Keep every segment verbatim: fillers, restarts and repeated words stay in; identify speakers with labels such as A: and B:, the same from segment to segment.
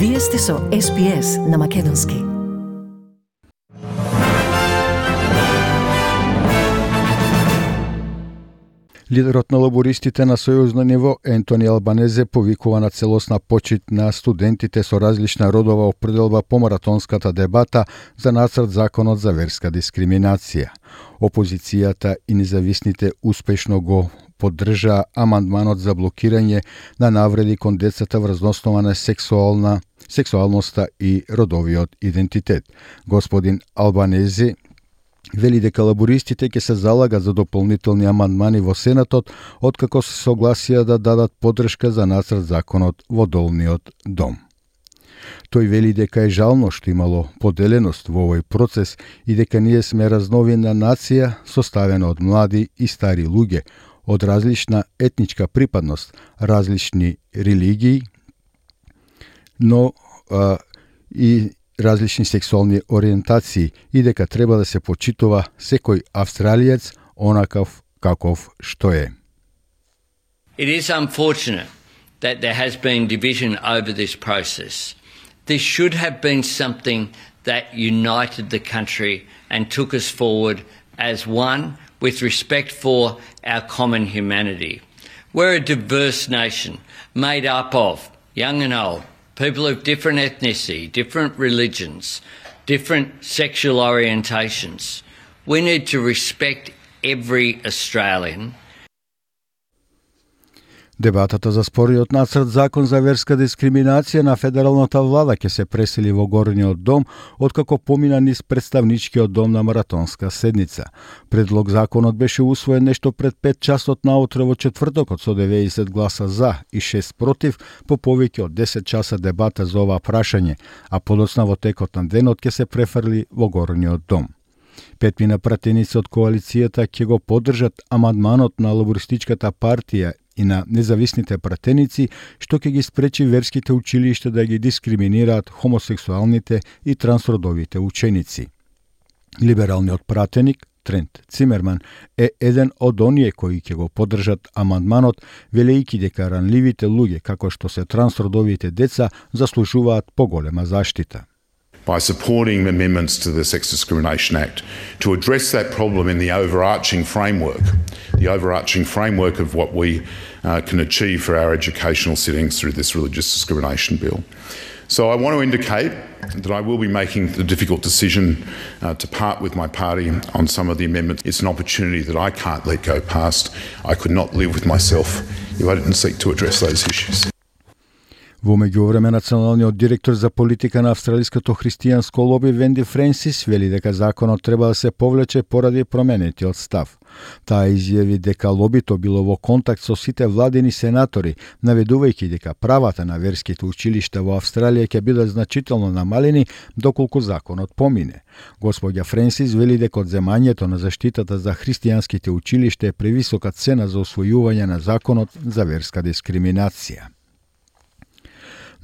A: Вие сте со Ес Би Ес на Македонски.
B: Лидерот на лабористите на сојузно ниво Ентони Албанезе повикува на целосна почит на студентите со различна родова определба по маратонската дебата за нацрт законот за верска дискриминација. Опозицијата и независните успешно го поддржаа амандманот за блокирање на навреди кон децата врз основа на сексуална сексуалноста и родовиот идентитет. Господин Албанезе вели дека лабористите ќе се залагат за дополнителни амандмани во Сенатот, откако се согласија да дадат поддршка за нацрт законот во долниот дом. Тој вели дека е жално што имало поделеност во овој процес и дека ние сме разновина нација составена од млади и стари луѓе, од различна етничка припадност, различни религии, но а, и различни сексуални ориентации и дека треба да се почитува секој австралиец онаков каков што е.
C: It is unfortunate that there has been division over this process. This should have been something that united the country and took us forward as one with respect for our common humanity. We're a diverse nation made up of young and old, people of different ethnicity, different religions, different sexual orientations. We need to respect every Australian.
B: Дебатата за спориот нацрт закон за верска дискриминација на федералната влада ќе се пресели во горниот дом откако помина низ представничкиот дом на маратонска седница. Предлог законот беше усвоен нешто пред пет часот наутре во четвртокот со деветдесет гласа за и шест против по повеќе од десет часа дебата за ова прашање, а подоцна во текот на денот ќе се префрли во горниот дом. Петмина пратеници од коалицијата ќе го поддржат амандманот на лабористичката партија и на независните пратеници, што ќе ги спречи верските училишта да ги дискриминираат хомосексуалните и трансродовите ученици. Либералниот пратеник Трент Цимерман е еден од оние кои ќе го поддржат амандманот, велејќи дека ранливите луѓе, како што се трансродовите деца, заслужуваат поголема заштита.
D: By supporting amendments to the Sex Discrimination Act to address that problem in the overarching framework, the overarching framework of what we uh, can achieve for our educational settings through this religious discrimination bill. So I want to indicate that I will be making the difficult decision uh, to part with my party on some of the amendments. It's an opportunity that I can't let go past. I could not live with myself if I didn't seek to address those issues.
B: Во меѓувреме, националниот директор за политика на австралиското христијанско лоби Венди Френсис вели дека законот треба да се повлече поради променетиот став. Таа изјави дека лобито било во контакт со сите владини сенатори, наведувајќи дека правата на верските училишта во Австралија ќе бидат значително намалени доколку законот помине. Господја Френсис вели дека одземањето на заштитата за христијанските училишта е превисока цена за освојување на законот за верска дискриминација.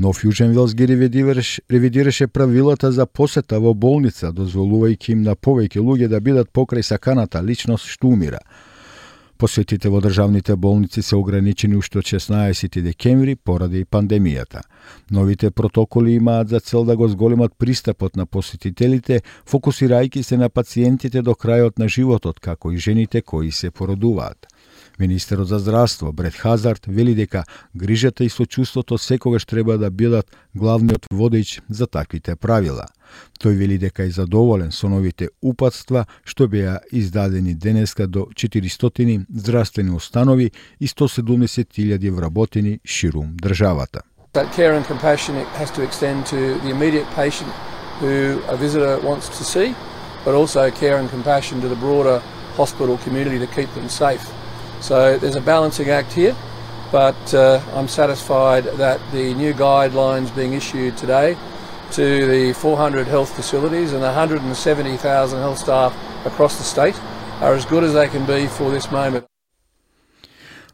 B: Нов Јужен Велс ги ревидираше, ревидираше правилата за посета во болница, дозволувајќи им на повеќе луѓе да бидат покрај саканата личност што умира. Посетите во државните болници се ограничени уште од шеснаесети декември поради пандемијата. Новите протоколи имаат за цел да го зголемат пристапот на посетителите, фокусирајќи се на пациентите до крајот на животот, како и жените кои се породуваат. Министерот за здравство Брет Хазард вели дека грижата и сочувството секогаш треба да бидат главниот водеж за таквите правила. Тој вели дека е задоволен со новите упатства што беа издадени денеска до четиристотини здравствени установи и сто седумдесет илјади вработени ширум државата.
E: That care and compassion has to extend to the immediate patient who a visitor wants to see, but also care and compassion to the broader hospital community to keep them safe. So there's a balancing act here, but uh, I'm satisfied that the new guidelines being issued today to the four hundred health facilities and the one hundred seventy thousand health staff across the state are as good as they can be for this moment.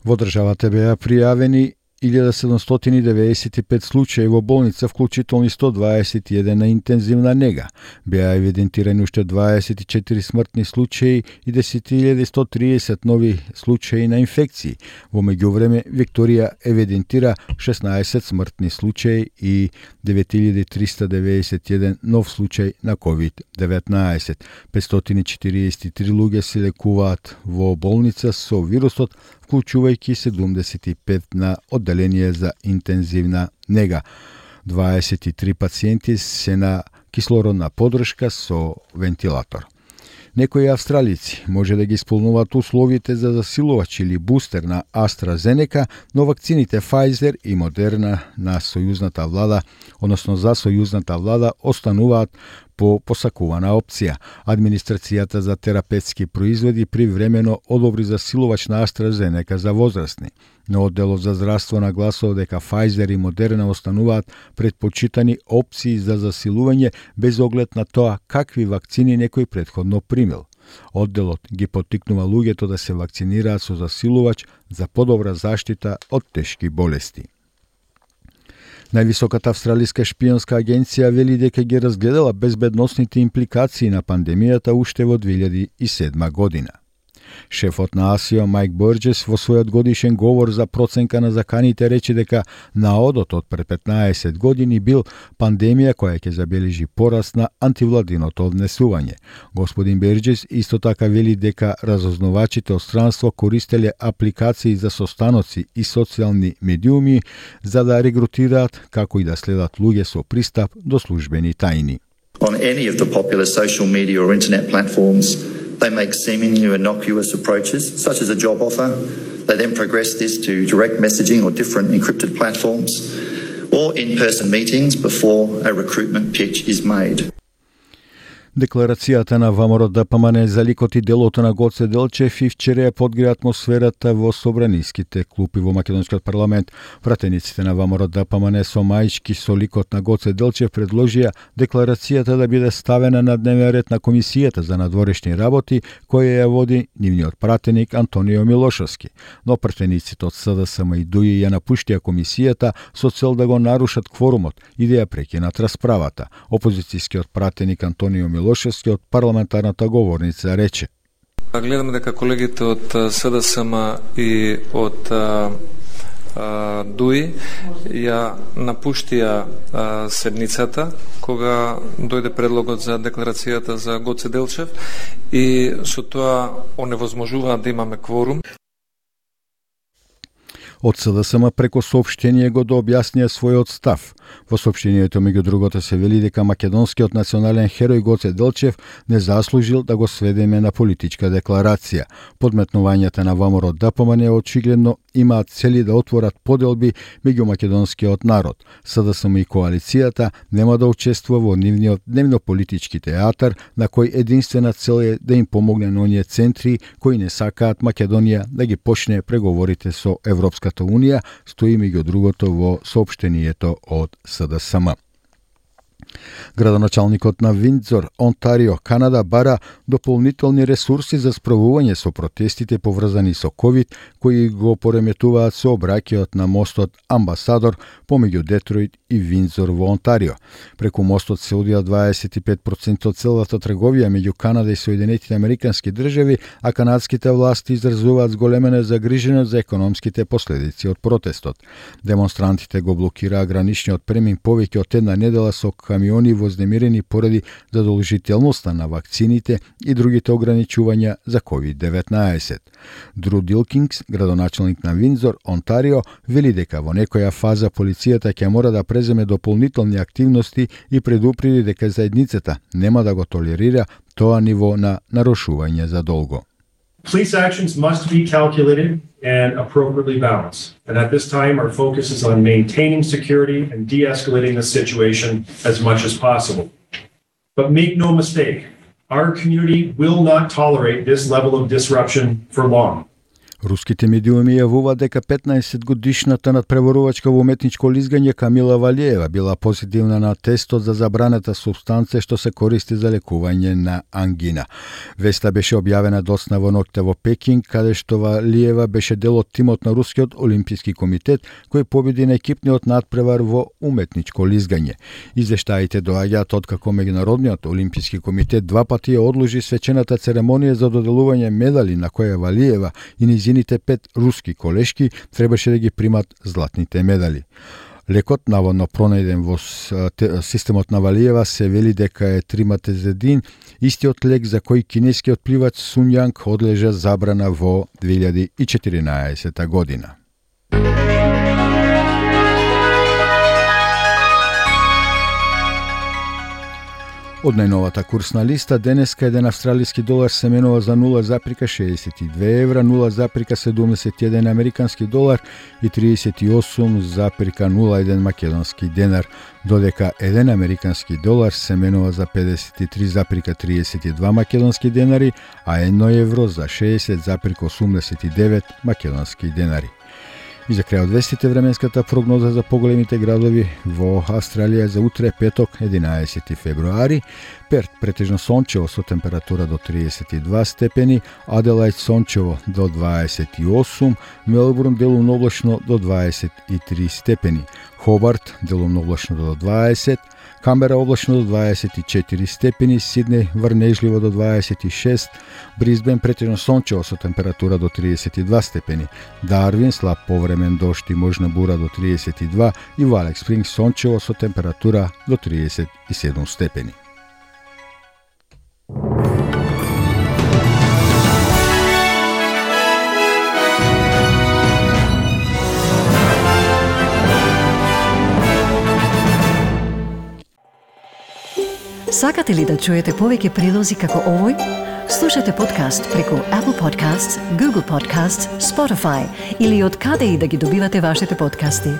B: Во државата беа пријавени илјада седумстотини деветдесет и пет случаи во болница, вклучително сто дваесет и еден на интензивна нега. Беа евидентирани уште дваесет и четири смртни случаи и десет илјади сто триесет нови случаи на инфекции. Во меѓувреме, Викторија евидентира шеснаесет смртни случаи и девет илјади триста деветдесет и еден нов случај на ковид деветнаесет. петстотини и четириесет и три луѓе се лекуваат во болница со вирусот, вклучувајќи седумдесет и пет на одделение за интензивна нега. дваесет и три пациенти се на кислородна подршка со вентилатор. Некои австралици може да ги исполнуваат условите за засилувач или бустер на AstraZeneca, но вакцините Pfizer и Moderna на сојузната влада, односно за сојузната влада, остануваат по посакувана опција. Администрацијата за терапевтски производи привремено одобри засилувач на AstraZeneca за возрастни, но одделот за здравство нагласува дека Pfizer и Moderna остануваат предпочитани опции за засилување без оглед на тоа какви вакцини некој претходно примил. Одделот ги поттикнува луѓето да се вакцинираат со засилувач за подобра заштита од тешки болести. Највисоката австралиска шпионска агенција вели дека ги разгледала безбедносните импликации на пандемијата уште во две илјади и седма година. Шефот на АСИО Майк Бурџес во својот годишен говор за проценка на заканите рече дека наодот од пред петнаесет години бил пандемија која ќе забележи пораст на антивладиното однесување. Господин Бурџес исто така вели дека разузнавачите од странство користеле апликации за состаноци и социјални медиуми за да регрутираат како и да следат луѓе со пристап до службени тајни.
F: On any of the popular social media or internet platforms, they make seemingly innocuous approaches, such as a job offer. They then progress this to direct messaging or different encrypted platforms, or in-person meetings before a recruitment pitch is made.
B: Декларацијата на ВМРО ДПМН за ликот и делото на Гоце Делчев и вчера ја подгрее атмосферата во собраниските клупи во македонскиот парламент. Пратениците на ВМРО ДПМН со маички со ликот на Гоце Делчев предложија декларацијата да биде ставена на дневен ред на Комисијата за надворешни работи, која ја води нивниот пратеник Антонио Милошовски. Но пратениците од СДСМ и ДУИ ја напуштија комисијата со цел да го нарушат кворумот и да ја прекинат расправата. Опозицијскиот пратеник Антонио Милошовски Милошевски од парламентарната говорница рече:
G: Гледаме дека колегите од СДСМ и од ДУИ ја напуштија седницата кога дојде предлогот за декларацијата за Гоце Делчев и со тоа оневозможуваат да имаме кворум.
B: Од СДСМ преко соопштение го да објаснија својот став. Во соопштението меѓу другото се вели дека македонскиот национален херој Гоце Делчев не заслужил да го сведеме на политичка декларација. Подметнувањата на ВМРО ДПМН очигледно имаат цели да отворат поделби меѓу македонскиот народ. СДСМ и коалицијата нема да учествува во нивниот дневно-политички театар, на кој единствена цел е да им помогне на оние центри кои не сакаат Македонија да ги почне преговорите со Европската Унија, стои меѓу другото во соопштението од СДСМ. Градоначалникот на Виндзор, Онтарио, Канада, бара дополнителни ресурси за справување со протестите поврзани со ковид, кои го пореметуваат сообраќајот на мостот Амбасадор помеѓу Детройт и Виндзор во Онтарио. Преку мостот се одвија дваесет и пет проценти од целата трговија меѓу Канада и Соединетите Американски држави, а канадските власти изразуваат зголемена загриженост за економските последици од протестот. Демонстрантите го блокираа граничниот премин повеќе од една недела со камиони вознемирени поради задолжителноста на вакцините и другите ограничувања за ковид деветнаесет. Дру Дилкингс, градоначалник на Виндзор, Онтарио, вели дека во некоја фаза полицијата ќе мора да преземе дополнителни активности и предупреди дека заедницата нема да го толерира тоа ниво на нарушување за долго.
H: Police actions must be calculated and appropriately balanced. And at this time, our focus is on maintaining security and de-escalating the situation as much as possible. But make no mistake, our community will not tolerate this level of disruption for long.
B: Руските медиуми јавуваат дека петнаесет годишната надпреварувачка во уметничко лизгање Камила Валиева била позитивна на тестот за забраната супстанција што се користи за лекување на ангина. Веста беше објавена доцна во ноќта во Пекинг, каде што Валиева беше дел од тимот на Рускиот олимписки комитет кој победи на екипниот надпревар во уметничко лизгање. Извештаите доаѓаат откако Меѓународниот олимписки комитет два пати ја одложи свечената церемонија за доделување медали на која Валиева и низините пет руски колешки требаше да ги примат златните медали. Лекот наводно пронајден во системот на Валиева се вели дека е триматезедин, истиот лек за кој кинескиот пливач Сун Јанг одлежа забрана во две илјади и четиринаесета година. Од најновата курсна листа, денеска еден австралиски долар се менува за нула запирка шеесет и две евра, нула запирка седумдесет и еден американски долар и триесет и осум запирка нула еден македонски денар, додека еден американски долар се менува за педесет и три запирка триесет и два македонски денари, а едно евро за шеесет запирка осумдесет и девет македонски денари. И за крај од вестите, временската прогноза за поголемите градови во Австралија за утре петок единаесети февруари: Перт претежно сончево со температура до триесет и два степени, Аделајд сончево до дваесет и осум, Мелбурн делумно облачно до дваесет и три степени, Хобарт делумно облачно до дваесет, Камбера облачно до дваесет и четири степени, Сиднеј врнежливо до дваесет и шест, Брисбен претежно сончево со температура до триесет и два степени, Дарвин слаб повремен дожд и можна бура до триесет и два и во Алекс Спрингс сончево со температура до триесет и седум степени.
A: Сакате ли да чуете повеќе прилози како овој? Слушате подкаст преку Apple Podcasts, Google Podcasts, Spotify или од каде и да ги добивате вашите подкасти.